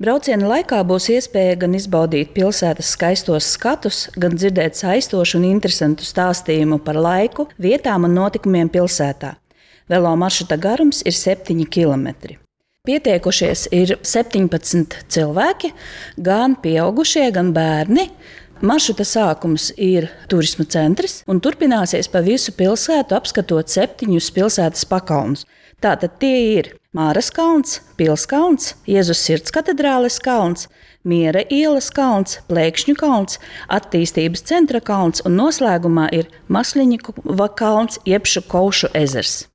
Brauciena laikā būs iespēja gan izbaudīt pilsētas skaistos skatus, gan dzirdēt saistošu un interesantu stāstījumu par laiku, vietām un notikumiem pilsētā. Velo maršruta garums ir 7 km. Pieteikušies ir 17 cilvēki, gan pieaugušie, gan bērni. Maršruta sākums ir turisma centrs un turpināsies pa visu pilsētu, apskatot 7 pilsētas pakalnus. Tātad tie ir Māras kalns, Pilskalns, Jēzus Sirds katedrāles kalns, Miera ielas kalns, Plēkšņu kalns, Attīstības centra kalns un noslēgumā ir Masliņikova kalns, jeb Šukovšu ezers.